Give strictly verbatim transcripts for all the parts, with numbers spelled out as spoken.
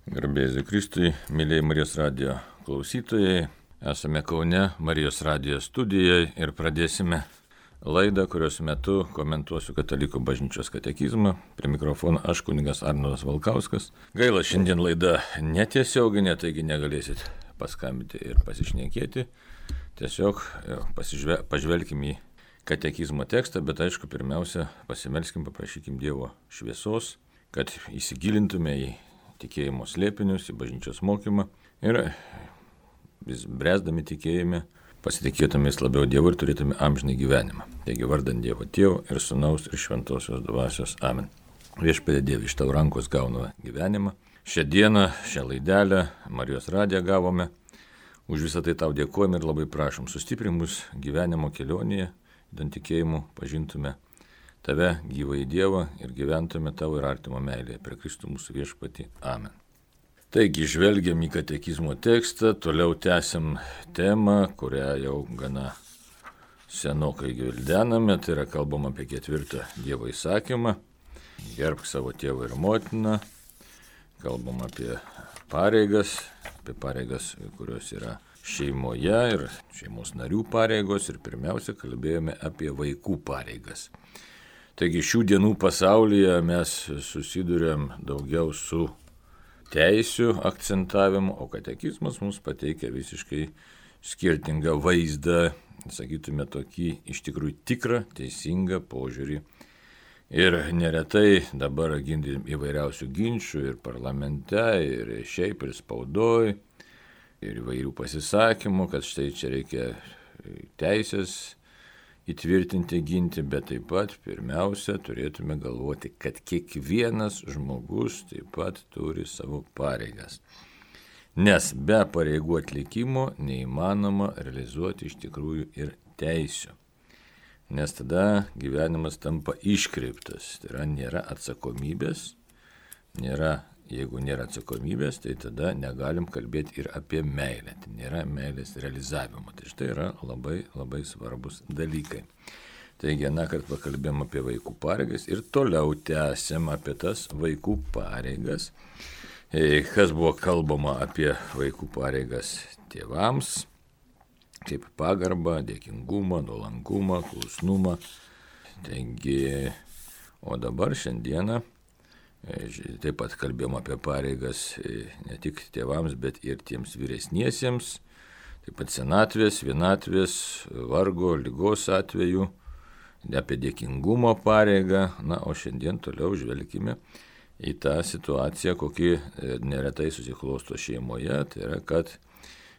Garbėsiu Kristui, mėlyje Marijos radijo klausytojai. Esame Kaune Marijos radijo studijoje ir pradėsime laidą, kurios metu komentuosiu Katalikų bažnyčios katekizmą. Prie mikrofono aš kunigas Arnoldas Valkauskas. Gaila, šiandien laida netiesioginė, taigi negalėsit paskambinti ir pasišnekėti. Tiesiog pasižve, pažvelkime į katekizmo tekstą, bet aišku, pirmiausia, pasimelskim, paprašykim Dievo šviesos, kad įsigilintume į tikėjimo slėpinius, į bažnyčios mokymą ir vis bręsdami tikėjime pasitikėtumės labiau Dievu ir turėtume amžinai gyvenimą. Taigi vardant Dievo Tėvo ir Sūnaus ir Šventosios Dvasios. Amen. Viešpatie Dieve, iš tavo rankos gauname gyvenimą. Šią dieną, šią laidelę Marijos radiją gavome. Už visą tai tau dėkojame ir labai prašom, sustiprink mus gyvenimo kelionėje, idant tikėjimu pažintume tave, gyvąjį Dievą, ir gyventume tavo ir artimo meilėje per Kristų mūsų viešpatį. Amen. Taigi, žvelgiam į katekizmo tekstą, toliau tęsiam temą, kurią jau gana senokai gvildename, tai yra kalbama apie ketvirtą Dievo įsakymą, gerbk savo tėvą ir motiną, kalbam apie pareigas, apie pareigas, kurios yra šeimoje ir šeimos narių pareigos, ir pirmiausia kalbėjome apie vaikų pareigas. Taigi šių dienų pasaulyje mes susiduriam daugiau su teisių akcentavimu, o katekizmas mums pateikia visiškai skirtingą vaizdą, sakytume tokį iš tikrųjų tikrą, teisingą požiūrį. Ir neretai dabar girdim įvairiausių ginčių ir parlamente, ir šiaip, ir spaudoj, ir įvairių pasisakymų, kad štai čia reikia teisės įtvirtinti, ginti, bet taip pat pirmiausia turėtume galvoti, kad kiekvienas žmogus taip pat turi savo pareigas. Nes be pareigų atlikimo neįmanoma realizuoti iš tikrųjų ir teisių. Nes tada gyvenimas tampa iškreiptas, tai yra nėra atsakomybės, nėra, jeigu nėra atsakomybės, tai tada negalim kalbėti ir apie meilę, tai nėra meilės realizavimo, tai štai yra labai labai svarbus dalykai. Taigi, na, kad pakalbėjom apie vaikų pareigas ir toliau tęsiam apie tas vaikų pareigas, kas buvo kalbama apie vaikų pareigas tėvams, kaip pagarbą, dėkingumą, nuolankumą, klusnumą. Taigi, o dabar šiandieną taip pat kalbėjom apie pareigas ne tik tėvams, bet ir tiems vyresniesiems, taip pat senatvės, vienatvės, vargo, ligos atveju, apie dėkingumo pareigą. Na, o šiandien toliau žvelgime į tą situaciją, kokį neretai susiklosto šeimoje, tai yra, kad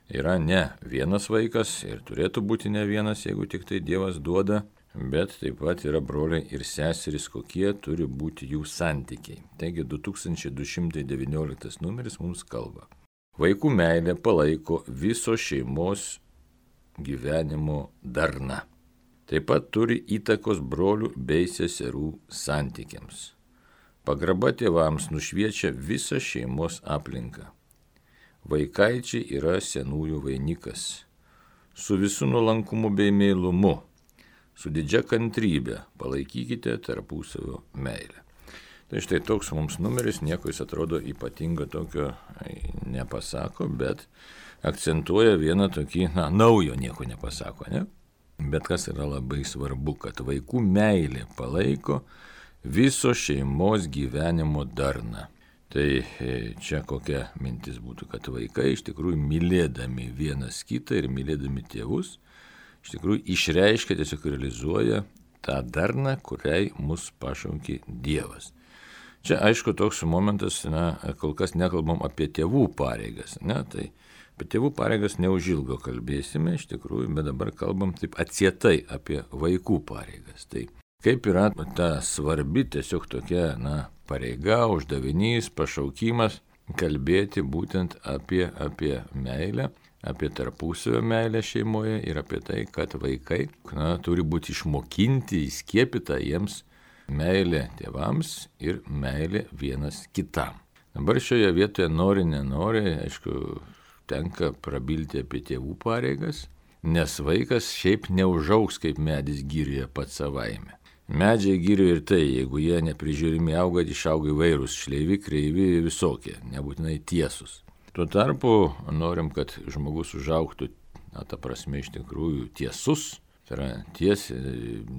yra ne vienas vaikas ir turėtų būti ne vienas, jeigu tik tai Dievas duoda, bet taip pat yra broliai ir seserys, kokie turi būti jų santykiai. Taigi du tūkstančiai du šimtai devynioliktas numeris mums kalba. Vaikų meilė palaiko viso šeimos gyvenimo darną. Taip pat turi įtakos brolių bei seserų santykiams. Pagarba tėvams nušviečia visą šeimos aplinką. Vaikaičiai yra senųjų vainikas. Su visu nuolankumu bei meilumu, su didžia kantrybė palaikykite tarpusavio meilę. Tai štai toks mums numeris, nieko jis atrodo ypatingo tokio nepasako, bet akcentuoja vieną tokį, na, naujo nieko nepasako, ne? Bet kas yra labai svarbu, kad vaikų meilė palaiko viso šeimos gyvenimo darną. Tai čia kokia mintis būtų, kad vaikai iš tikrųjų mylėdami vienas kitą ir mylėdami tėvus, iš tikrųjų išreiškia, tiesiog realizuoja tą darną, kuriai mus pašaukė Dievas. Čia aišku toks momentas, na, kol kas nekalbam apie tėvų pareigas, ne, tai apie tėvų pareigas neužilgo kalbėsime iš tikrųjų, bet dabar kalbam taip atsietai apie vaikų pareigas. Tai kaip yra ta svarbi tiesiog tokia, na, pareiga, uždavinys, pašaukimas kalbėti būtent apie, apie meilę, apie tarpusavio meilę šeimoje ir apie tai, kad vaikai, na, turi būti išmokinti, įskiepyta jiems meilė tėvams ir meilė vienas kitam. Dabar šioje vietoje nori, nenori, aišku, tenka prabilti apie tėvų pareigas, nes vaikas šiaip neužaugs kaip medis girioje pats savaime. Medžiai girių ir tai, jeigu jie neprižiūrimi auga, išauga įvairūs, šleivi, kreivi, visokie, nebūtinai tiesus. Tuo tarpu norim, kad žmogus užaugtų, na, ta prasme iš tikrųjų tiesus, tai yra ties,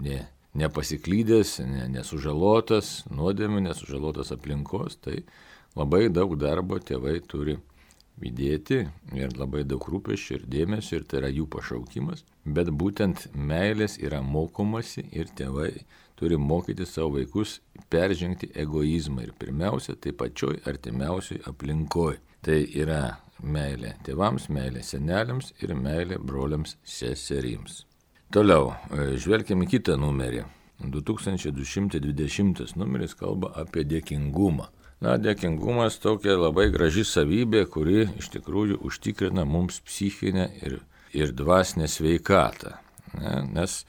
ne, nepasiklydęs, ne, nesužalotas nuodėmių, nesužalotas aplinkos, tai labai daug darbo tėvai turi įdėti ir labai daug rūpesčių ir dėmesio, ir tai yra jų pašaukimas, bet būtent meilės yra mokomasi ir tėvai turi mokyti savo vaikus peržengti egoizmą ir pirmiausia, tai pačioj artimiausioj aplinkoj. Tai yra meilė tėvams, meilė seneliams ir meilė broliams seserims. Toliau, žvelkime kitą numerį. du tūkstančiai du šimtai dvidešimtas numeris kalba apie dėkingumą. Na, dėkingumas tokia labai graži savybė, kuri iš tikrųjų užtikrina mums psichinę ir, ir dvasinę sveikatą. Ne? Nes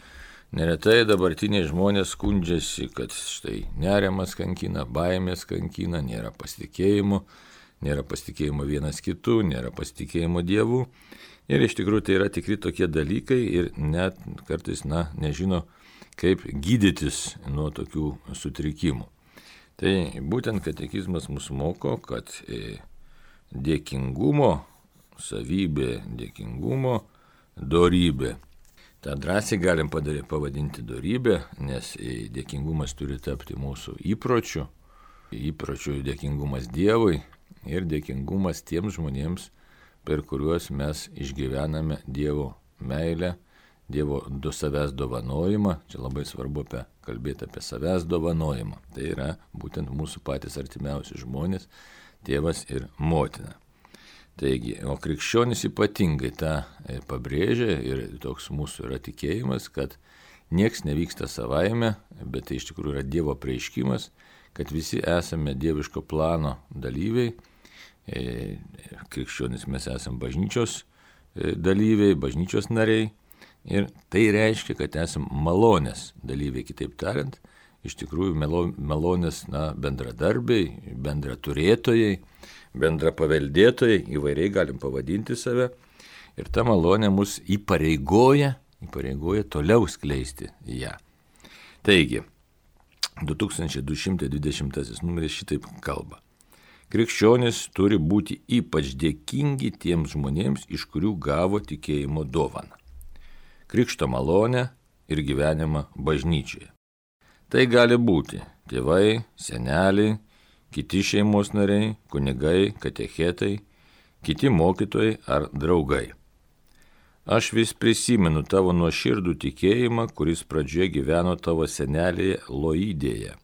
neretai dabartiniai žmonės skundžiasi, kad štai nerimas kankina, baimės kankina, nėra pasitikėjimo, nėra pasitikėjimo vienas kitu, nėra pasitikėjimo Dievu. Ir iš tikrųjų tai yra tikri tokie dalykai ir net kartais, na, nežino, kaip gydytis nuo tokių sutrikimų. Tai būtent katekizmas mus moko, kad dėkingumo savybė, dėkingumo dorybė. Ta drąsiai galim padaryti, pavadinti dorybę, nes dėkingumas turi tapti mūsų įpročiu, įpročiu dėkingumas Dievui ir dėkingumas tiems žmonėms, per kuriuos mes išgyvename Dievo meilę, Dievo du savęs dovanojimą. Čia labai svarbu apie, kalbėti apie savęs dovanojimą. Tai yra būtent mūsų patys artimiausi žmonės, tėvas ir motina. Taigi, o krikščionys ypatingai tą pabrėžia ir toks mūsų yra tikėjimas, kad nieks nevyksta savaime, bet tai iš tikrųjų yra Dievo apreiškimas, kad visi esame dieviško plano dalyviai. Krikščionys mes esame bažnyčios dalyviai, bažnyčios nariai. Ir tai reiškia, kad esame malonės dalyviai, kitaip tariant, iš tikrųjų malonės, na, bendradarbiai, bendraturėtojai, bendrapaveldėtojai, įvairiai galim pavadinti save. Ir ta malonė mus įpareigoja, įpareigoja toliau skleisti ją. Taigi, du tūkstančiai du šimtai dvidešimtasis numeris šitaip kalba. Krikščionys turi būti ypač dėkingi tiems žmonėms, iš kurių gavo tikėjimo dovaną. Krikšto malonę ir gyvenimą bažnyčioje. Tai gali būti tėvai, seneliai, kiti šeimos nariai, kunigai, katechetai, kiti mokytojai ar draugai. Aš vis prisimenu tavo nuoširdų tikėjimą, kuris pradžioje gyveno tavo senelėje Loidėje,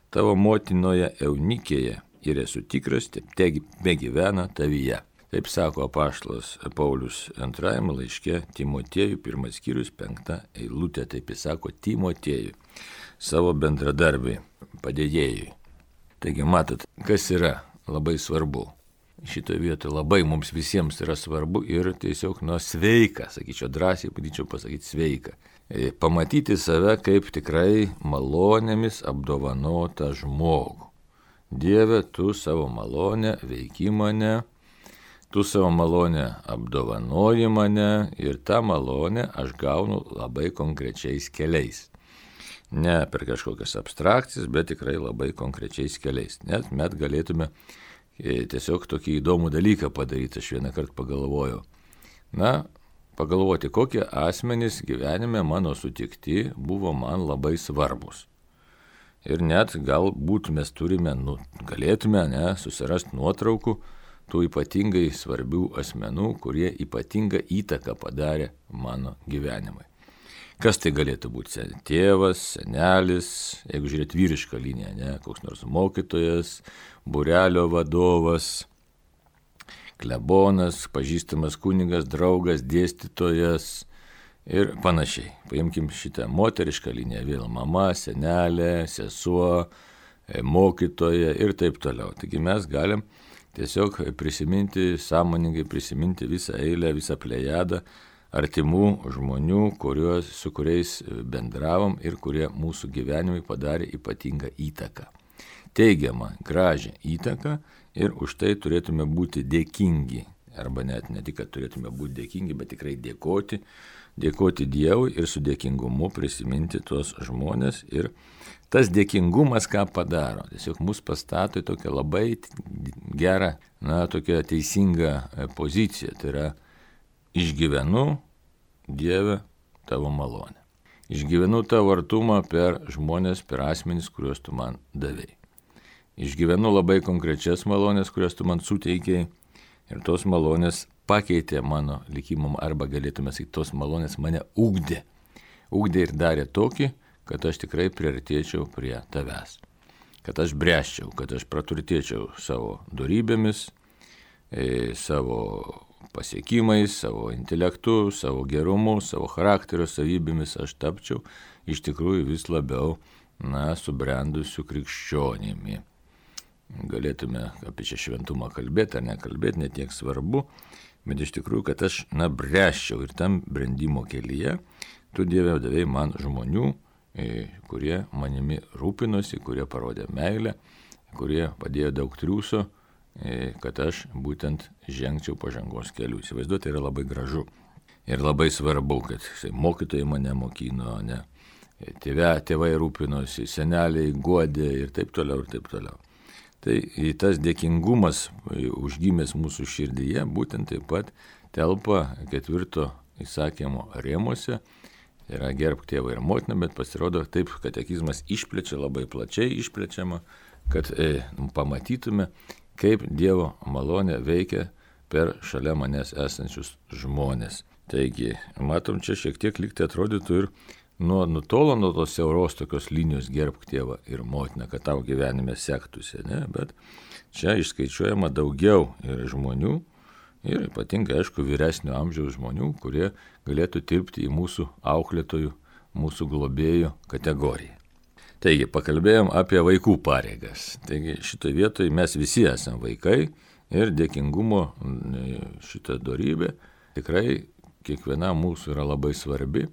tavo motinoje Eunikėje ir esu tikras, tebe gyvena tavyje. Taip sako apaštalas Paulius antrajame laiške Timotiejui, pirmas skyrius, penkta eilutė, taip jis sako Timotiejui, savo bendradarbiai, padėjėjui. Taigi matot, kas yra labai svarbu. Šitoje vietoje labai mums visiems yra svarbu ir tiesiog nuo sveika, sakyčiau, drąsiai padėčiau pasakyti sveika. Pamatyti save kaip tikrai malonėmis apdovanotą žmogų. Dieve, tu savo malonę veiki mane, tu savo malonę apdovanoji mane ir tą malonę aš gaunu labai konkrečiais keliais. Ne per kažkokias abstrakcijas, bet tikrai labai konkrečiais keliais. Net mes galėtume tiesiog tokį įdomų dalyką padaryti, aš vieną kartą pagalvojau. Na, pagalvoti, kokie asmenys gyvenime mano sutikti buvo man labai svarbus. Ir net galbūt mes turime, nu, galėtume ne, susirasti nuotraukų tų ypatingai svarbių asmenų, kurie ypatingą įtaką padarė mano gyvenimui. Kas tai galėtų būti? Tėvas, senelis, jeigu žiūrėt vyrišką liniją, ne, koks nors mokytojas, būrelio vadovas, klebonas, pažįstamas kunigas, draugas, dėstytojas ir panašiai. Paimkim šitą moterišką liniją, vėl mama, senelė, sesuo, mokytoja ir taip toliau. Taigi mes galim tiesiog prisiminti, sąmoningai prisiminti visą eilę, visą plejadą artimų žmonių, kuriuos, su kuriais bendravom ir kurie mūsų gyvenimui padarė ypatingą įtaką. Teigiamą, gražią įtaką ir už tai turėtume būti dėkingi arba net ne tik, kad turėtume būti dėkingi, bet tikrai dėkoti, dėkoti Dievui ir su dėkingumu prisiminti tuos žmonės. Ir tas dėkingumas ką padaro, tiesiog mus pastato į tokią labai gerą, na, tokią teisingą poziciją. Tai yra, išgyvenu, Dieve, tavo malonę. Išgyvenu tavo artumą per žmonės, per asmenys, kuriuos tu man davei. Išgyvenu labai konkrečias malonės, kurias tu man suteikėjai, ir tos malonės pakeitė mano likimą, arba galėtume sakyti, tos malonės mane ugdė. Ugdė ir darė tokį, kad aš tikrai priartėčiau prie tavęs. Kad aš bręsčiau, kad aš praturtėčiau savo dorybėmis, e, savo pasiekimais, savo intelektu, savo gerumu, savo charakterio savybėmis aš tapčiau iš tikrųjų vis labiau, na, subrendusiu krikščionimi. Galėtume apie čia šventumą kalbėti ar nekalbėti, netiek svarbu, bet iš tikrųjų, kad aš, na, bręsčiau ir tam brendimo kelyje, tu Dieve davei man žmonių, kurie manimi rūpinosi, kurie parodė meilę, kurie padėjo daug triūso, kad aš būtent žengčiau pažangos kelių. Įsivaizduoti, tai yra labai gražu ir labai svarbu, kad mokytojai mane mokino, ne, tėvė, tėvai rūpinosi, seneliai guodė ir taip toliau ir taip toliau. Tai tas dėkingumas užgimęs mūsų širdyje būtent taip pat telpa ketvirto įsakymo rėmuose. Tai yra gerbk tėvą ir motiną, bet pasirodo taip, katekizmas išplečia, labai plačiai išplečiama, kad e, pamatytume, kaip Dievo malonė veikia per šalia manęs esančius žmonės. Taigi, matom, čia šiek tiek lygtai atrodytų ir nuo, nutolo nuo tos siauros tokios linijos gerbk tėvą ir motiną, kad tau gyvenime sektųsi, ne? Bet čia išskaičiuojama daugiau ir žmonių, ir ypatingai, aišku, vyresnio amžiaus žmonių, kurie galėtų tilpti į mūsų auklėtojų, mūsų globėjų kategoriją. Taigi, pakalbėjom apie vaikų pareigas. Taigi, šitoje vietoje mes visi esame vaikai ir dėkingumo šitą dorybę tikrai kiekviena mūsų yra labai svarbi.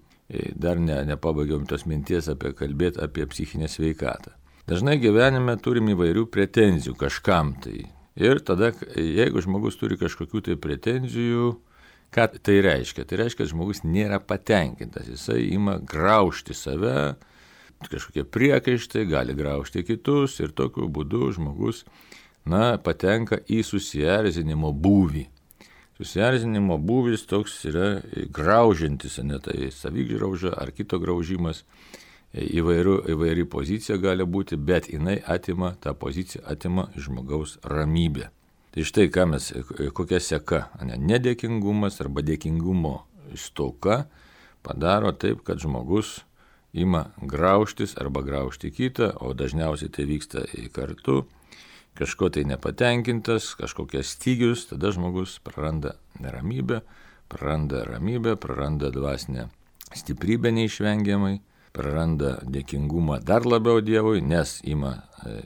Dar ne, nepabaigiom tos minties apie kalbėti apie psichinę sveikatą. Dažnai gyvenime turim įvairių pretenzijų kažkam tai. Ir tada, jeigu žmogus turi kažkokių tai pretenzijų, ką tai reiškia? Tai reiškia, kad žmogus nėra patenkintas. Jisai ima graužti save, kažkokie priekaištai, gali graužti kitus ir tokiu būdu žmogus, na, patenka į susierzinimo būvį. Susierzinimo būvis toks yra graužiantis, ne tai savigrauža ar kito graužimas, įvairių, įvairi pozicija gali būti, bet jinai atima, tą poziciją atima žmogaus ramybę. Tai štai ką mes, kokia seka, ne, nedėkingumas arba dėkingumo stoka padaro taip, kad žmogus ima graužtis arba graužti kitą, o dažniausiai tai vyksta kartu, kažko tai nepatenkintas, kažkokias stygius, tada žmogus praranda neramybę, praranda ramybę, praranda dvasinę stiprybę neišvengiamai, praranda dėkingumą dar labiau Dievui, nes ima e,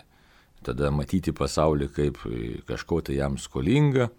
tada matyti pasaulį kaip kažko tai jam skolinga,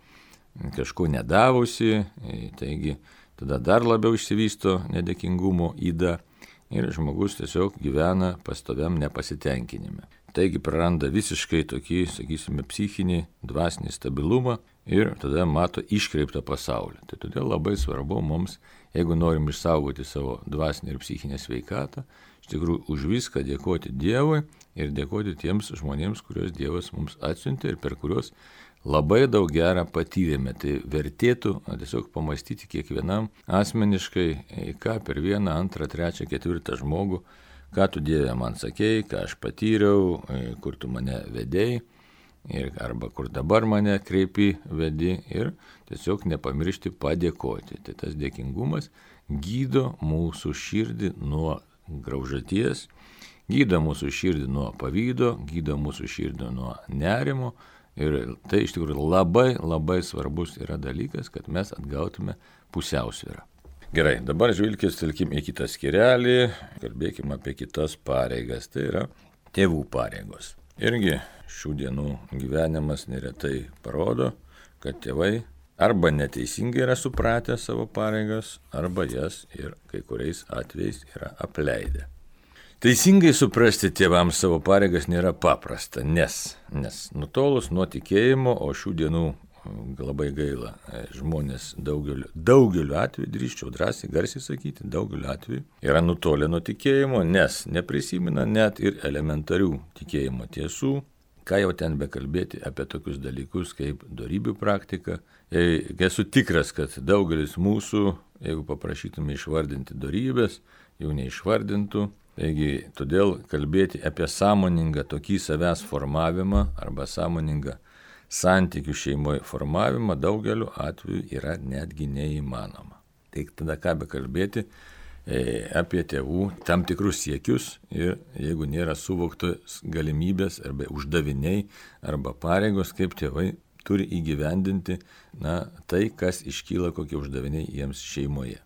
kažko nedavusi, e, taigi tada dar labiau išsivysto nedėkingumo yda. Ir žmogus tiesiog gyvena pastoviam nepasitenkinime. Taigi praranda visiškai tokį, sakysime, psichinį, dvasinį stabilumą ir tada mato iškreiptą pasaulį. Tai todėl labai svarbu mums, jeigu norim išsaugoti savo dvasinę ir psichinę sveikatą, iš tikrųjų už viską dėkoti Dievui ir dėkoti tiems žmonėms, kuriuos Dievas mums atsiuntė ir per kuriuos labai daug gerą patyrėme. Tai vertėtų tiesiog pamastyti kiekvienam asmeniškai, ką per vieną, antrą, trečią, ketvirtą žmogų, ką tu Dieve man sakei, ką aš patyriau, kur tu mane vedei, ir arba kur dabar mane kreipi, vedi ir tiesiog nepamiršti padėkoti. Tai tas dėkingumas gydo mūsų širdį nuo graužaties, gydo mūsų širdį nuo pavydo, gydo mūsų širdį nuo nerimo. Ir tai iš tikrųjų labai, labai svarbus yra dalykas, kad mes atgautume pusiausvyrą. Gerai, dabar žvilkės telkim į kitą skyrelį, kalbėkime apie kitas pareigas, tai yra tėvų pareigos. Irgi šių dienų gyvenimas neretai parodo, kad tėvai arba neteisingai yra supratę savo pareigas, arba jas ir kai kuriais atvejais yra apleidę. Teisingai suprasti tėvams savo pareigas nėra paprasta, nes, nes nutolus nuo tikėjimo, o šių dienų labai gaila, žmonės daugeliu, daugeliu atveju, drįsčiau drąsiai, garsiai sakyti, daugeliu atveju yra nutolę nuo tikėjimo, nes neprisimena net ir elementarių tikėjimo tiesų. Ką jau ten bekalbėti apie tokius dalykus kaip dorybių praktika. Esu tikras, kad daugelis mūsų, jeigu paprašytume išvardinti dorybės, jų neišvardintų. Taigi, todėl kalbėti apie sąmoningą tokį savęs formavimą arba sąmoningą santykių šeimoje formavimą daugeliu atveju yra netgi neįmanoma. Tai tada ką bekalbėti apie tėvų tam tikrus siekius ir jeigu nėra suvoktos galimybės arba uždaviniai arba pareigos, kaip tėvai turi įgyvendinti na, tai, kas iškyla, kokie uždaviniai jiems šeimoje.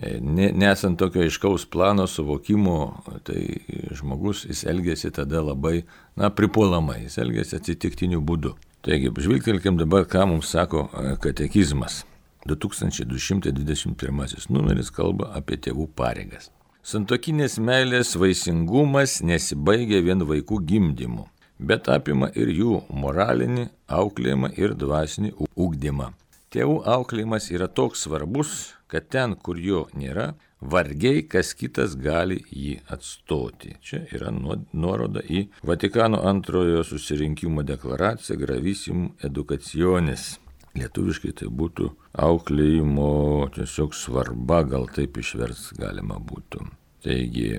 Nesant tokio aiškaus plano suvokimo, tai žmogus jis elgėsi tada labai na, pripuolamai, jis elgėsi atsitiktiniu būdu. Taigi, žvilgtelkim dabar, ką mums sako katekizmas. du tūkstančiai du šimtai dvidešimt pirmasis numeris kalba apie tėvų pareigas. Santuokinės meilės vaisingumas nesibaigia vien vaikų gimdymu, bet apima ir jų moralinį auklėjimą ir dvasinį ugdymą. Tėvų auklėjimas yra toks svarbus, kad ten, kur jo nėra, vargiai kas kitas gali jį atstoti. Čia yra nuoroda į Vatikano antrojo susirinkimo deklaraciją Gravissimo Educationis. Lietuviškai tai būtų auklėjimo tiesiog svarba, gal taip išverst galima būtų. Taigi,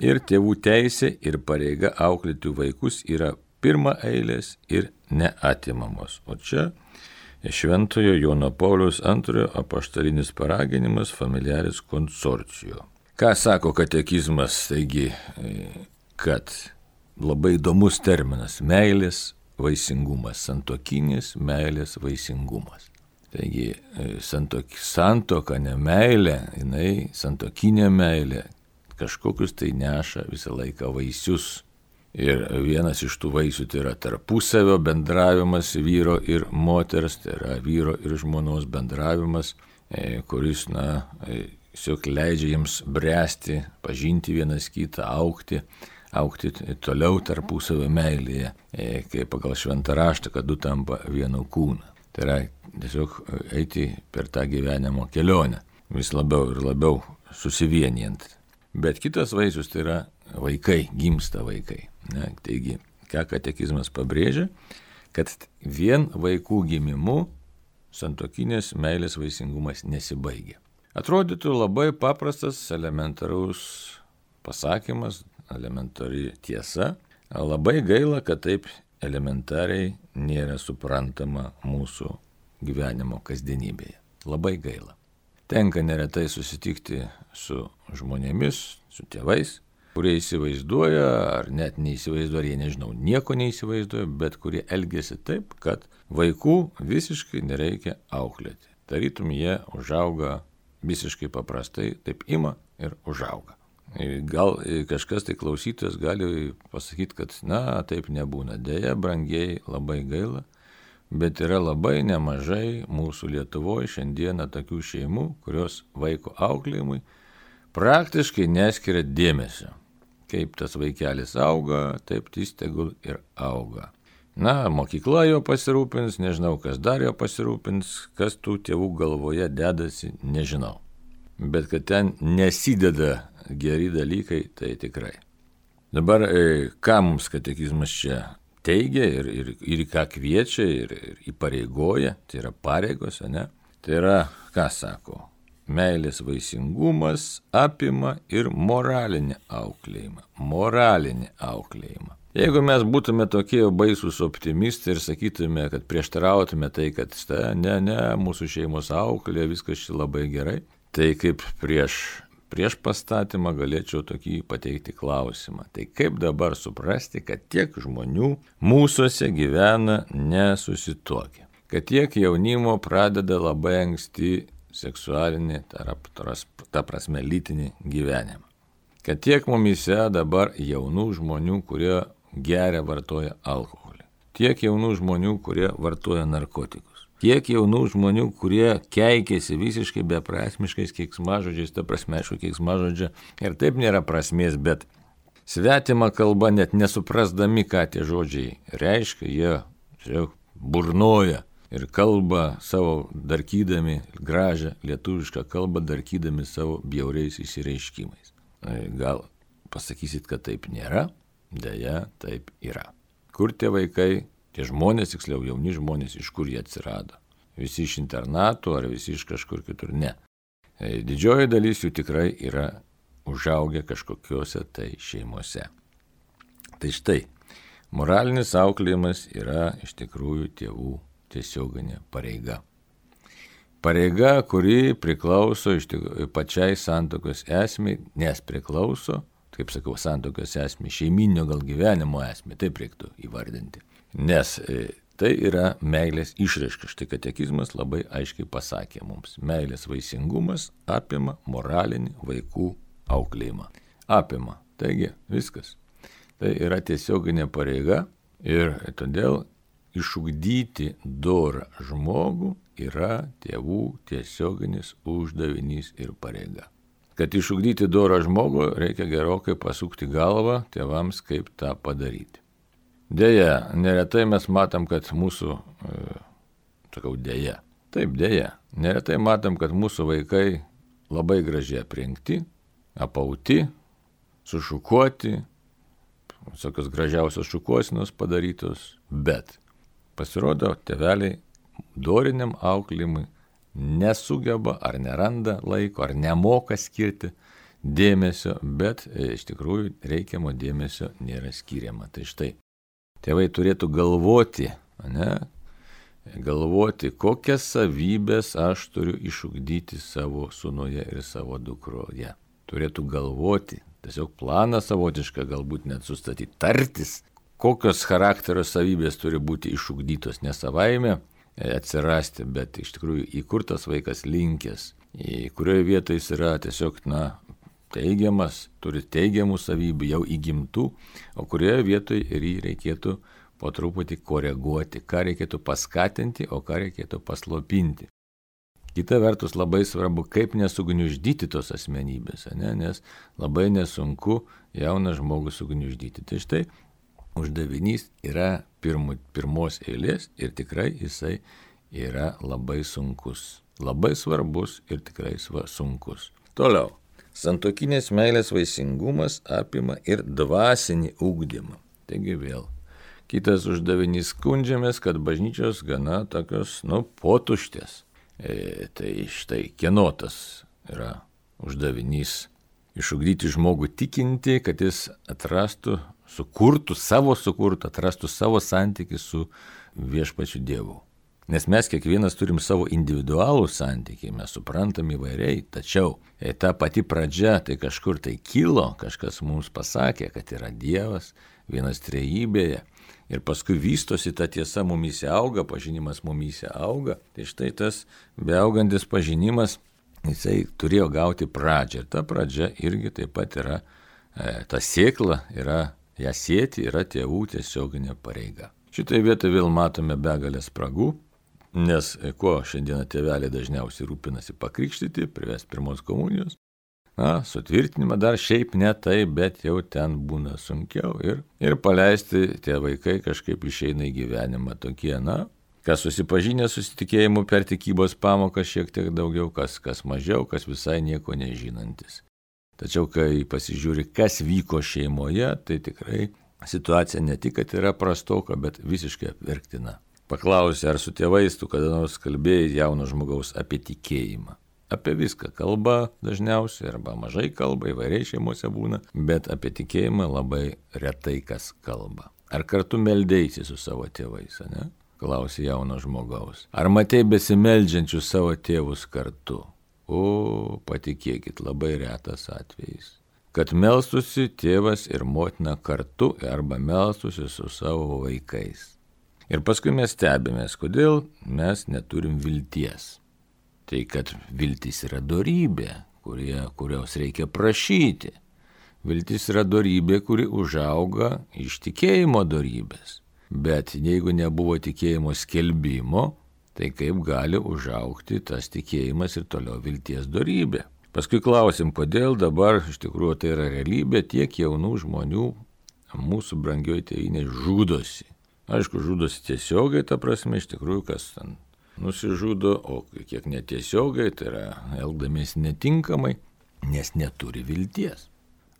ir tėvų teisė, ir pareiga auklėti vaikus yra pirma eilės ir neatimamos. O čia Šventojo Jono Pauliaus antrojo apaštalinis paraginimas Familiaris Consortio. Ką sako katekizmas? Taigi, kad labai įdomus terminas – meilės vaisingumas, santuokinis meilės vaisingumas. Taigi, santok, santoka, ne meilė, jinai santuokinė meilė, kažkokius tai neša visą laiką vaisius. Ir vienas iš tų vaisių tai yra tarpusavio bendravimas vyro ir moters, tai yra vyro ir žmonos bendravimas, kuris, na, tiesiog leidžia jiems bręsti, pažinti vienas kitą, augti. aukti toliau tarpusavio meilėje, kaip pagal šventą raštą, kad du tampa vienu kūnu. Tai yra tiesiog eiti per tą gyvenimo kelionę, vis labiau ir labiau susivienijant. Bet kitas vaisius tai yra vaikai, gimsta vaikai. Ne? Taigi, ką katekizmas pabrėžia, kad vien vaikų gimimu santuokinės meilės vaisingumas nesibaigia. Atrodytų labai paprastas, elementarus pasakymas, elementari tiesa. Labai gaila, kad taip elementariai nėra suprantama mūsų gyvenimo kasdienybėje. Labai gaila. Tenka neretai susitikti su žmonėmis, su tėvais, kurie įsivaizduoja, ar net neįsivaizduoja, ar jie nežinau, nieko neįsivaizduoja, bet kurie elgiasi taip, kad vaikų visiškai nereikia auklėti. Tarytum jie užauga visiškai paprastai, taip ima ir užauga. Gal kažkas tai klausytojas gali pasakyti, kad na, taip nebūna. Deja, brangiai, labai gaila, bet yra labai nemažai mūsų Lietuvoje šiandieną tokių šeimų, kurios vaiko auklėjimui praktiškai neskiria dėmesio. Kaip tas vaikelis auga, taip jis tegul ir auga. Na, mokykla jo pasirūpins, nežinau, kas dar jo pasirūpins, kas tų tėvų galvoje dedasi, nežinau. Bet kad ten nesideda geri dalykai, tai tikrai. Dabar, ką mums katekizmas čia teigia ir, ir, ir ką kviečia ir, ir įpareigoja, tai yra pareigos, ne? Tai yra, ką sako, meilės vaisingumas apima ir moralinį auklėjimą. Moralinį auklėjimą. Jeigu mes būtume tokie baisūs optimistai ir sakytume, kad prieštarautume tai, kad štai, ne, ne, mūsų šeimos auklė, viskas čia labai gerai, tai kaip prieš, prieš pastatymą galėčiau tokį pateikti klausimą. Tai kaip dabar suprasti, kad tiek žmonių mūsuose gyvena nesusituokę, kad tiek jaunimo pradeda labai anksti seksualinį, ta prasme lytinį gyvenimą, kad tiek mumyse dabar jaunų žmonių, kurie geria, vartoja alkoholį, tiek jaunų žmonių, kurie vartoja narkotikus. Tiek jaunų žmonių, kurie keikėsi visiškai beprasmiškais keiksmažodžiais, ta prasme, aišku, keiksmažodžio ir taip nėra prasmės, bet svetima kalba net nesuprasdami, ką tie žodžiai reiškia, jie tiesiog burnoja ir kalbą savo darkydami, gražią lietuvišką kalbą darkydami savo bjauriais išsireiškimais. Gal pasakysit, kad taip nėra? Deja, taip yra. Kur tie vaikai, tie žmonės, tiksliau jauni žmonės, iš kur jie atsirado? Visi iš internatų ar visi iš kažkur kitur? Ne. Didžioji dalis jų tikrai yra užaugę kažkokiuose tai šeimose. Tai štai, moralinis auklėjimas yra iš tikrųjų tėvų tiesioginė pareiga. Pareiga, kuri priklauso iš tikrųjų pačiai santuokos esmei, nes priklauso, kaip sakau, santuokos esmei, šeiminio gal gyvenimo esmei, taip reiktų įvardinti. Nes tai yra meilės išraiška. Štai katekizmas labai aiškiai pasakė mums. Meilės vaisingumas apima moralinį vaikų auklėjimą. Apima. Taigi viskas. Tai yra tiesioginė pareiga ir todėl išugdyti dorą žmogų yra tėvų tiesioginis uždavinys ir pareiga. Kad išugdyti dorą žmogų, reikia gerokai pasukti galvą tėvams, kaip tą padaryti. Deja, neretai mes matom, kad mūsų, e, sakau, deja, taip deja, neretai matom, kad mūsų vaikai labai gražiai aprengti, apauti, sušukuoti, visokios gražiausios šukuosinos padarytos, bet pasirodo, tėveliai doriniam auklėjimui nesugeba ar neranda laiko, ar nemoka skirti dėmesio, bet e, iš tikrųjų reikiamo dėmesio nėra skiriama. Tai štai, tėvai turėtų galvoti, ne, galvoti, kokias savybės aš turiu išugdyti savo sūnuje ir savo dukroje. Turėtų galvoti, tiesiog planą savotišką galbūt net sustatyti, tartis, kokios charakterio savybės turi būti išugdytos ne savaime atsirasti, bet iš tikrųjų į kur tas vaikas linkęs, į kurioje vietoje jis yra tiesiog, na, teigiamas, turi teigiamų savybių, jau įgimtų, o kurioje vietoje ir jį reikėtų po truputį koreguoti, ką reikėtų paskatinti, o ką reikėtų paslopinti. Kita vertus labai svarbu, kaip nesugniuždyti tos asmenybės, ne? Nes labai nesunku jauną žmogų sugniuždyti. Tai štai uždavinys yra pirmu, pirmos eilės ir tikrai jisai yra labai sunkus. Labai svarbus ir tikrai sunkus. Toliau. Santuokinės meilės vaisingumas apima ir dvasinį ugdymą. Taigi vėl. Kitas uždavinys, skundžiamės, kad bažnyčios gana tokios, nu, potuštės. E, tai štai kieno tas yra uždavinys. Išugdyti žmogų tikinti, kad jis atrastų, sukurtų savo sukurtų, atrastų savo santykį su viešpačiu Dievu. Nes mes kiekvienas turim savo individualų santykį, mes suprantam įvairiai, tačiau e, ta pati pradžia, tai kažkur tai kilo, kažkas mums pasakė, kad yra Dievas, vienas trejybėje, ir paskui vystosi ta tiesa mumyse auga, pažinimas mumyse auga, tai štai tas beaugantis pažinimas, jisai turėjo gauti pradžią, ir ta pradžia irgi taip pat yra, e, ta sėkla yra, ją sėti yra tėvų tiesioginė pareiga. Šitai vietoje vėl matome begalės spragų, nes kuo šiandieną tėveliai dažniausiai rūpinasi pakrikštyti, privesti pirmos komunijos, na, sutvirtinimą dar šiaip ne tai, bet jau ten būna sunkiau ir, ir paleisti tie vaikai kažkaip išeina į gyvenimą tokie, na, kas susipažinę susitikėjimu per tikybos pamoką šiek tiek daugiau, kas, kas mažiau, kas visai nieko nežinantis. Tačiau, kai pasižiūri, kas vyko šeimoje, tai tikrai situacija ne tik, kad yra prastoka, bet visiškai apverktina. Paklausė, ar su tėvais tu kada nors kalbėjai jauno žmogaus apie tikėjimą. Apie viską kalba dažniausiai, arba mažai kalba, įvairiai šeimose būna, bet apie tikėjimą labai retai kas kalba. Ar kartu meldėsi su savo tėvais, ne? Klausė jauno žmogaus. Ar matei besimeldžiančius savo tėvus kartu? O, patikėkit, labai retas atvejis. Kad melstusi tėvas ir motina kartu arba melstusi su savo vaikais. Ir paskui mes stebimės, kodėl mes neturim vilties. Tai kad viltis yra dorybė, kurie, kurios reikia prašyti. Viltis yra dorybė, kuri užauga iš tikėjimo dorybės. Bet jeigu nebuvo tikėjimo skelbimo, tai kaip gali užaugti tas tikėjimas ir toliau vilties dorybė. Paskui klausim, kodėl dabar iš tikrųjų tai yra realybė, tiek jaunų žmonių mūsų brangioji tėvynė žudosi. Aišku, žudosi tiesiogiai, ta prasme, iš tikrųjų, kas ten nusižudo, o kiek netiesiogiai, tai yra elgdamiesi netinkamai, nes neturi vilties.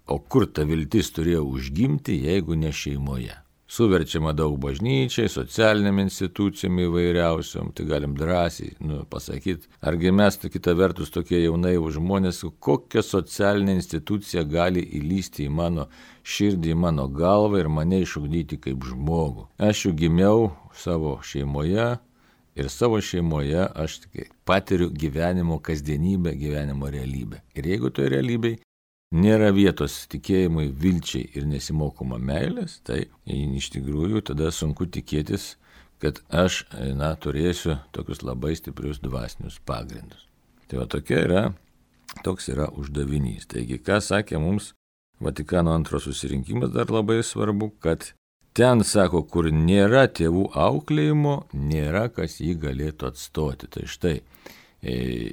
O kur ta viltis turėjo užgimti, jeigu ne šeimoje? Suverčiama daug bažnyčiai, socialiniam institucijom įvairiausiom, tai galim drąsiai nu, pasakyti, argi mes, kita vertus, tokie jaunai už žmonės, kokia socialinė institucija gali įlysti į mano širdį, į mano galvą ir mane išugdyti kaip žmogų. Aš jau gimiau savo šeimoje ir savo šeimoje aš patiriu gyvenimo kasdienybę, gyvenimo realybę. Ir jeigu toje realybėje nėra vietos tikėjimui, vilčiai ir nesimokoma meilės, tai iš tikrųjų tada sunku tikėtis, kad aš na, turėsiu tokius labai stiprius dvasinius pagrindus. Tai va tokia yra, toks yra uždavinys. Taigi, ką sakė mums Vatikano antro susirinkimas, dar labai svarbu, kad ten, sako, kur nėra tėvų auklėjimo, nėra kas jį galėtų atstoti. Tai štai,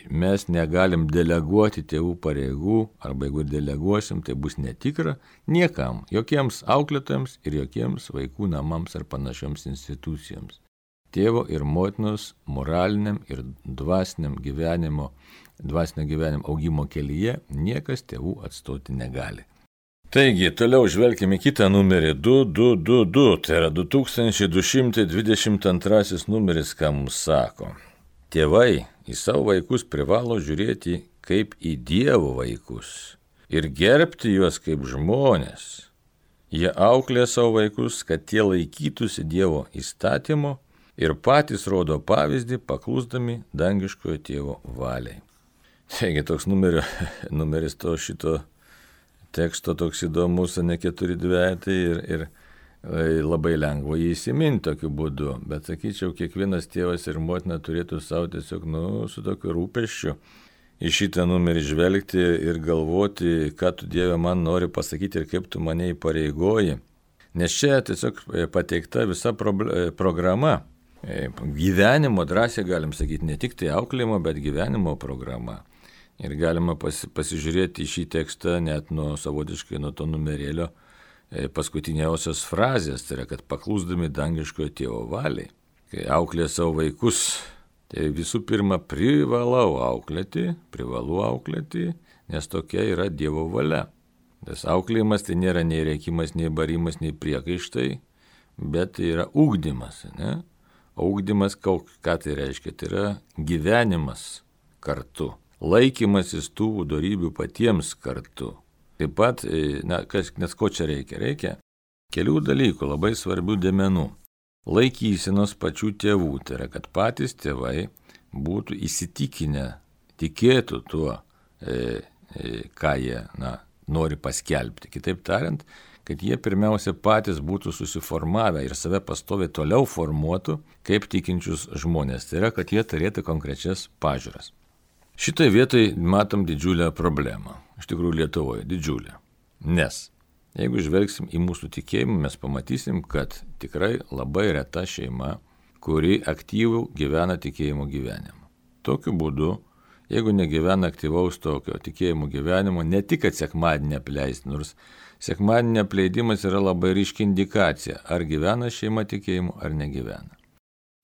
mes negalim deleguoti tėvų pareigų, arba jeigu deleguosim, tai bus netikra niekam, jokiems auklėtojams ir jokiems vaikų namams ar panašioms institucijoms. Tėvo ir motinos moraliniam ir dvasiniam gyvenimo, dvasinio gyvenimo augimo kelyje niekas tėvų atstoti negali. Taigi, toliau žvelkime kitą numerį du du du du, tai yra du tūkstančiai du šimtai dvidešimt antrasis numeris, ką mums sako. Tėvai į savo vaikus privalo žiūrėti kaip į Dievo vaikus ir gerbti juos kaip žmonės. Jie auklė savo vaikus, kad tie laikytųsi Dievo įstatymo ir patys rodo pavyzdį, paklusdami dangiškojo tėvo valiai. Taigi toks numerio, numeris to šito teksto toks įdomus, ne keturi dvejetai ir, ir labai lengva jį įsiminti tokiu būdu, bet sakyčiau, kiekvienas tėvas ir motina turėtų savo tiesiog, nu, su tokiu rūpesčiu į šitą numerį žvelgti ir galvoti, ką tu Dieve man nori pasakyti ir kaip tu mane įpareigoji. Nes čia tiesiog pateikta visa programa, gyvenimo, drąsiai galim sakyti, ne tik tai auklėjimo, bet gyvenimo programa. Ir galima pasi, pasižiūrėti į šį tekstą net nuo savotiškai nuo to numerėlio paskutiniausios frazės, tai yra, kad paklusdami dangiškojo tėvo valiai, kai auklė savo vaikus, tai visų pirma privalau auklėti, privalu auklėti, nes tokia yra Dievo valia. Tas auklėjimas tai nėra nei rėkimas, nei barimas, nei priekaištai, bet tai yra ugdymas. Ne? O ugdymas, ką tai reiškia, tai yra gyvenimas kartu, laikymasis tų dorybių patiems kartu. Taip pat, na, kas, nes ko čia reikia? Reikia kelių dalykų, labai svarbių dėmenų. Laikysenos pačių tėvų, tai yra, kad patys tėvai būtų įsitikinę, tikėtų tuo, e, e, ką jie na, nori paskelbti. Kitaip tariant, kad jie pirmiausia patys būtų susiformavę ir save pastoviai toliau formuotų kaip tikinčius žmonės. Tai yra, kad jie turėtų konkrečias pažiūras. Šitai vietai matom didžiulę problemą. Iš tikrųjų Lietuvoje didžiulę. Nes jeigu žvelgsim į mūsų tikėjimą, mes pamatysim, kad tikrai labai reta šeima, kuri aktyvų gyvena tikėjimo gyvenimą. Tokiu būdu, jeigu negyvena aktyvaus tokio tikėjimo gyvenimo, ne tik kad sekmadienį apleisti, nors sekmadienį apleidimas yra labai ryški indikacija, ar gyvena šeima tikėjimu, ar negyvena.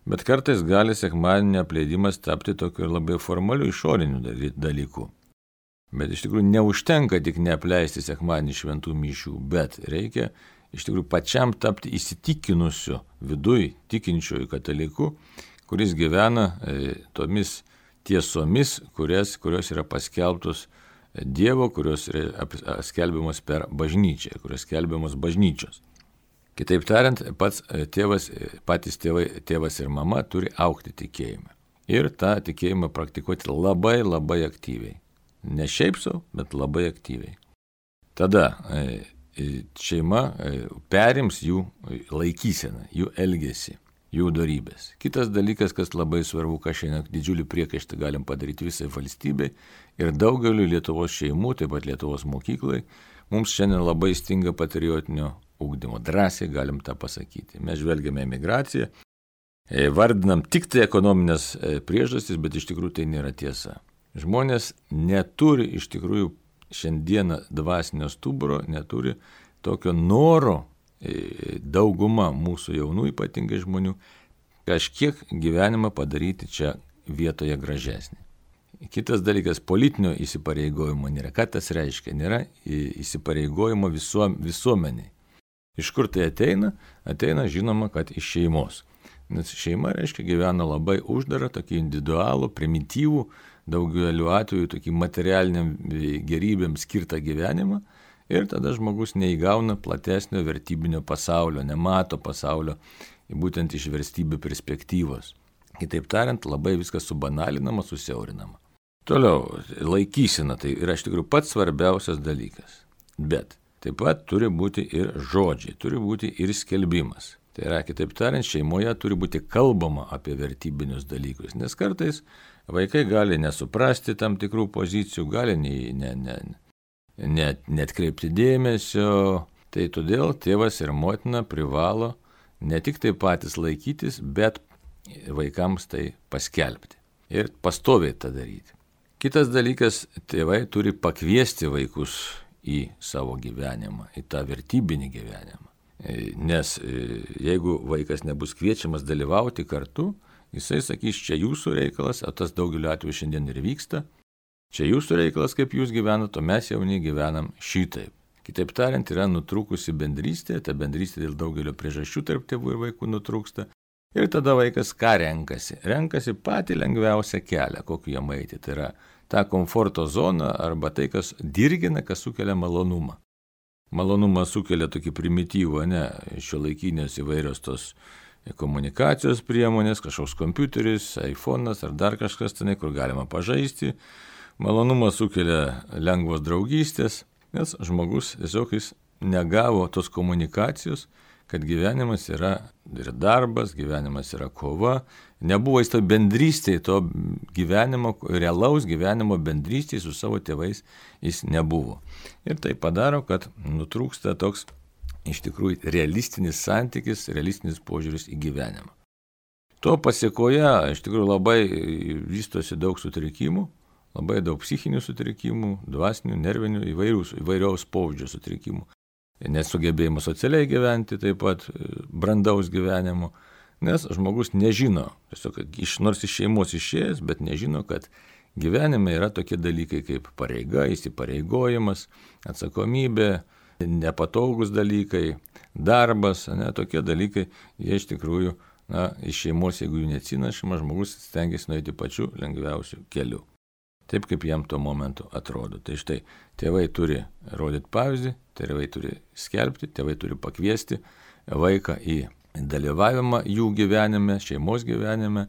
Bet kartais gali sekmadienio apleidimas tapti tokiu labai formaliu išoriniu dalyku. Bet iš tikrųjų neužtenka tik neapleisti sekmadienį šventų mišių, bet reikia iš tikrųjų pačiam tapti įsitikinusiu viduj tikinčiųjų kataliku, kuris gyvena e, tomis tiesomis, kurias, kurios yra paskelbtos Dievo, kurios yra skelbiamos per bažnyčią, kurios skelbiamos bažnyčios. Kitaip tariant, pats tėvas, patys tėvai, tėvas ir mama turi augti tikėjimą. Ir tą tikėjimą praktikuoti labai labai aktyviai. Ne šiaip sau, bet labai aktyviai. Tada šeima perims jų laikyseną, jų elgesį, jų dorybės. Kitas dalykas, kas labai svarbu, ką šiandien didžiulį priekaištą galim padaryti visai valstybei ir daugeliu Lietuvos šeimų, taip pat Lietuvos mokyklai, mums šiandien labai stinga patriotinio ugdymo. Drąsiai galim tą pasakyti. Mes žvelgiame emigraciją, vardinam tik tai ekonominės priežastis, bet iš tikrųjų tai nėra tiesa. Žmonės neturi iš tikrųjų šiandieną dvasinio stuburo, neturi tokio noro dauguma mūsų jaunų ypatingai žmonių, kažkiek gyvenimą padaryti čia vietoje gražesnį. Kitas dalykas, politinio įsipareigojimo nėra. Ką tas reiškia? Nėra įsipareigojimo visuom, visuomeniai. Iš kur tai ateina? Ateina, žinoma, kad iš šeimos. Nes šeima, reiškia, gyvena labai uždarą, tokį individualų, primityvų, daugeliu atveju tokį materialiniam gerybėm skirtą gyvenimą ir tada žmogus neįgauna platesnio vertybinio pasaulio, nemato pasaulio būtent iš vertybių perspektyvos. Kitaip tariant, labai viskas subanalinama, susiaurinama. Toliau, laikysena tai yra iš tikrųjų pats svarbiausias dalykas. Bet taip pat turi būti ir žodžiai, turi būti ir skelbimas. Tai yra, kitaip tariant, šeimoje turi būti kalbama apie vertybinius dalykus, nes kartais vaikai gali nesuprasti tam tikrų pozicijų, gali ne, ne, ne, net, net kreipti dėmesio. Tai todėl tėvas ir motina privalo ne tik tai patys laikytis, bet vaikams tai paskelbti ir pastoviai tą daryti. Kitas dalykas, tėvai turi pakviesti vaikus į savo gyvenimą, į tą vertybinį gyvenimą. Nes jeigu vaikas nebus kviečiamas dalyvauti kartu, jisai sakys, čia jūsų reikalas, o tas daugeliu atveju šiandien ir vyksta, čia jūsų reikalas, kaip jūs gyvenat, o mes jauni gyvenam šitaip. Kitaip tariant, yra nutrūkusi bendrystė, ta bendrystė dėl daugelio priežasčių tarp tėvų ir vaikų nutrūksta. Ir tada vaikas ką renkasi? Renkasi patį lengviausią kelią, kokį jam eiti. Tai yra tą komforto zoną arba tai, kas dirgina, kas sukelia malonumą. Malonumą sukelia tokį primityvą, ne, šiuolaikinės įvairios tos komunikacijos priemonės, kažkoks kompiuteris, iPhone'as ar dar kažkas tenai, kur galima pažaisti. Malonumą sukelia lengvos draugystės, nes žmogus tiesiog jis negavo tos komunikacijos, kad gyvenimas yra ir darbas, gyvenimas yra kova. Nebuvo jis to bendrystėje, to gyvenimo, realaus gyvenimo bendrystėje su savo tėvais jis nebuvo. Ir tai padaro, kad nutrūksta toks iš tikrųjų realistinis santykis, realistinis požiūris į gyvenimą. To pasiekoje iš tikrųjų labai vystosi daug sutrikimų, labai daug psichinių sutrikimų, dvasinių, nervinių, įvairiaus, įvairiaus pobūdžio sutrikimų. Nesugebėjimas socialiai gyventi, taip pat brandaus gyvenimo, nes žmogus nežino, tiesiog iš, nors iš šeimos išėjęs, bet nežino, kad gyvenime yra tokie dalykai kaip pareiga, įsipareigojimas, atsakomybė, nepatogus dalykai, darbas, ne, tokie dalykai, jie iš tikrųjų, na, iš šeimos, jeigu jų neatsinašama, žmogus stengiasi nueiti pačiu lengviausiu keliu. Taip, kaip jam tuo momentu atrodo. Tai štai, tėvai turi rodyti pavyzdį, tėvai turi skelbti, tėvai turi pakviesti vaiką į dalyvavimą jų gyvenime, šeimos gyvenime,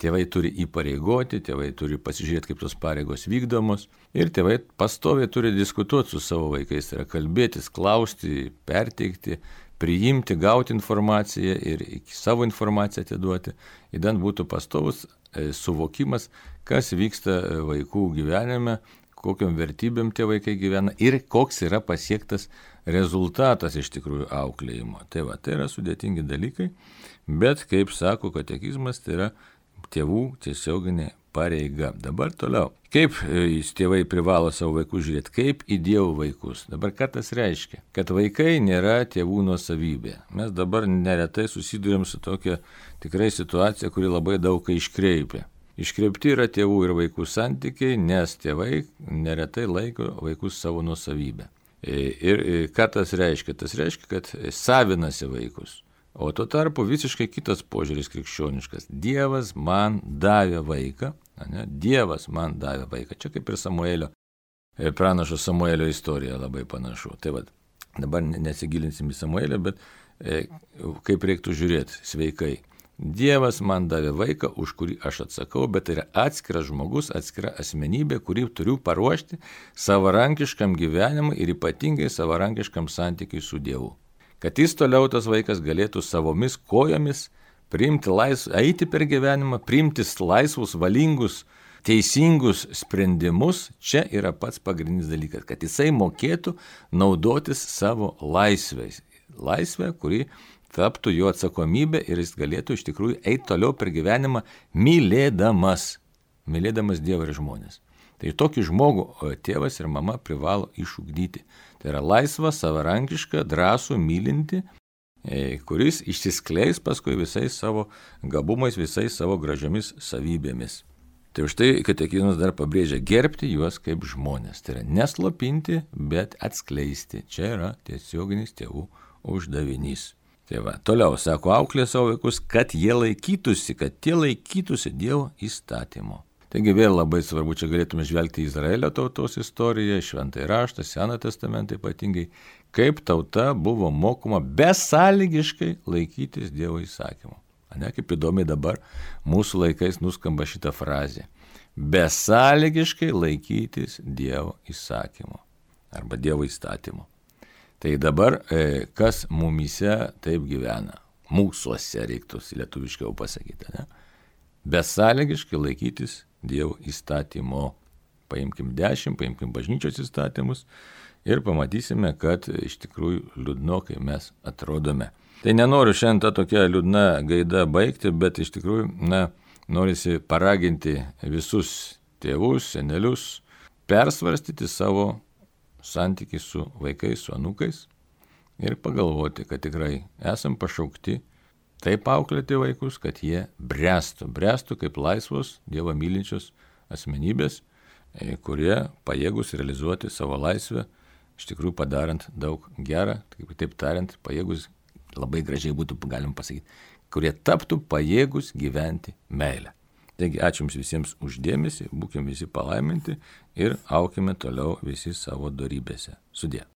tėvai turi įpareigoti, tėvai turi pasižiūrėti, kaip tos pareigos vykdomos ir tėvai pastoviai turi diskutuoti su savo vaikais, tai yra kalbėtis, klausti, perteikti, priimti, gauti informaciją ir savo informaciją atiduoti, įdant būtų pastovus suvokimas, kas vyksta vaikų gyvenime, kokiam vertybėm tie vaikai gyvena ir koks yra pasiektas rezultatas iš tikrųjų auklėjimo. Tai va, tai yra sudėtingi dalykai, bet, kaip sako katekizmas, tai yra tėvų tiesioginė pareiga. Dabar toliau. Kaip tėvai privalo savo vaikus žiūrėti? Kaip į Dievo vaikus? Dabar ką tas reiškia? Kad vaikai nėra tėvų nuosavybė. Mes dabar neretai susidurėm su tokia tikrai situacija, kuri labai daug ką iškreipia. Iškreipti yra tėvų ir vaikų santykiai, nes tėvai neretai laiko vaikus savo nuosavybę. Ir ką tas reiškia? Tas reiškia, kad savinasi vaikus. O tuo tarpu visiškai kitas požiūris krikščioniškas. Dievas man davė vaiką, ne? Dievas man davė vaiką. Čia kaip ir Samuelio, pranašo Samuelio istorija labai panašu. Tai va, dabar nesigilinsim į Samuelį, bet e, kaip reiktų žiūrėti sveikai. Dievas man davė vaiką, už kurį aš atsakau, bet tai yra atskiras žmogus, atskira asmenybė, kurį turiu paruošti savarankiškam gyvenimui ir ypatingai savarankiškam santykiui su Dievu. Kad jis toliau tas vaikas galėtų savomis kojomis priimti laisvą, eiti per gyvenimą, priimti laisvus, valingus, teisingus sprendimus, čia yra pats pagrindinis dalykas, kad jisai mokėtų naudotis savo laisvės. Laisvę, kuri taptų jo atsakomybė ir jis galėtų iš tikrųjų eiti toliau per gyvenimą mylėdamas, mylėdamas Dievą ir žmonės. Tai tokį žmogų tėvas ir mama privalo išugdyti. Tai yra laisvą, savarankišką, drąsų, mylinti kuris išsiskleis paskui visais savo gabumais, visais savo gražiomis savybėmis. Tai už tai katekizmas dar pabrėžia gerbti juos kaip žmonės. Tai yra neslopinti, bet atskleisti. Čia yra tiesioginis tėvų uždavinys. Tai va, toliau sako, auklė savo vaikus, kad jie laikytųsi, kad tie laikytųsi Dievo įstatymo. Taigi vėl labai svarbu, čia galėtume žvelgti Izraelio tautos istoriją, Šventąjį raštą, Seną testamentą ypatingai, kaip tauta buvo mokoma besąlygiškai laikytis Dievo įsakymo. Ne, kaip įdomiai dabar mūsų laikais nuskamba šita frazė. Besąlygiškai laikytis Dievo įsakymo arba Dievo įstatymo. Tai dabar kas mumyse taip gyvena? Mūsuose reiktų lietuviškiau pasakyti. Ne? Besąlygiškai laikytis Dievo įstatymo. Paimkim dešimt, paimkim bažnyčios įstatymus ir pamatysime, kad iš tikrųjų liūdnokai mes atrodome. Tai nenoriu šiandien tą tokią liūdną gaidą baigti, bet iš tikrųjų, na, norisi paraginti visus tėvus, senelius, persvarstyti savo santykį su vaikais, su anūkais ir pagalvoti, kad tikrai esam pašaukti taip auklėti vaikus, kad jie bręstų, bręstų kaip laisvos, Dievą mylinčios asmenybės, kurie pajėgus realizuoti savo laisvę, iš tikrųjų padarant daug gerą, taip tariant, pajėgus labai gražiai būtų galim pasakyti, kurie taptų pajėgus gyventi meilę. Taigi ačiū jums visiems už dėmesį, būkime visi palaiminti ir aukime toliau visi savo dorybėse. Sudie.